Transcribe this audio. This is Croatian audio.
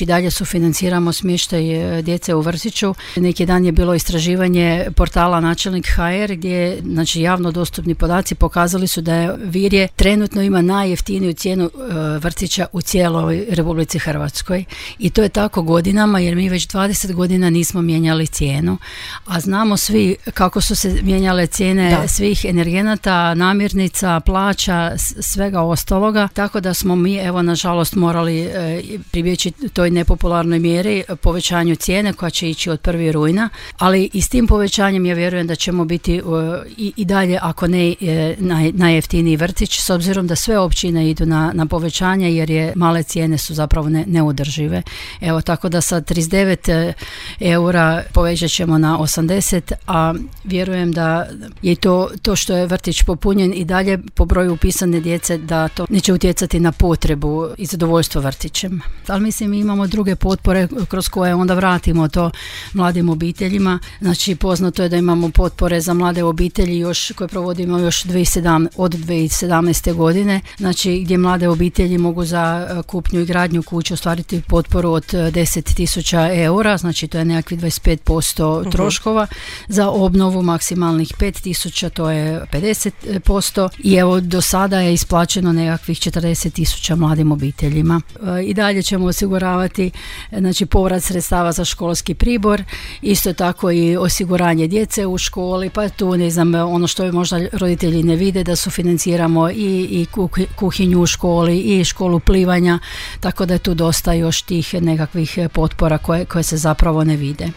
I dalje sufinanciramo smještaj djece u vrtiću. Neki dan je bilo istraživanje portala Načelnik HR gdje javno dostupni podaci pokazali su da Virje trenutno ima najjeftiniju cijenu vrtića u cijeloj Republici Hrvatskoj. I to je tako godinama jer mi već 20 godina nismo mijenjali cijenu. A znamo svi kako su se mijenjale cijene svih energenata, namirnica, plaća, svega ostaloga. Tako da smo mi, nažalost, morali pribjeći toj nepopularnoj mjeri povećanju cijene koja će ići od 1. rujna, ali i s tim povećanjem ja vjerujem da ćemo biti i dalje, ako ne najjeftiniji vrtić, s obzirom da sve općine idu na povećanje jer je male cijene su zapravo neudržive. Tako da sa 39 eura povećat ćemo na 80, a vjerujem da je to što je vrtić popunjen i dalje po broju upisane djece da to neće utjecati na potrebu i zadovoljstvo vrtićem. Ali mislim imamo druge potpore kroz koje onda vratimo to mladim obiteljima. Poznato je da imamo potpore za mlade obitelji koje provodimo još od 2017. godine, gdje mlade obitelji mogu za kupnju i gradnju kuće ostvariti potporu od 10.000 eura, to je nekakvi 25% troškova, za obnovu maksimalnih 5.000, to je 50%, i do sada je isplaćeno nekakvih 40.000 mladim obiteljima. I dalje ćemo osiguravati povrat sredstava za školski pribor, isto tako i osiguranje djece u školi, pa tu ono što možda roditelji ne vide da sufinanciramo i kuhinju u školi i školu plivanja, tako da je tu dosta još tih nekakvih potpora koje se zapravo ne vide.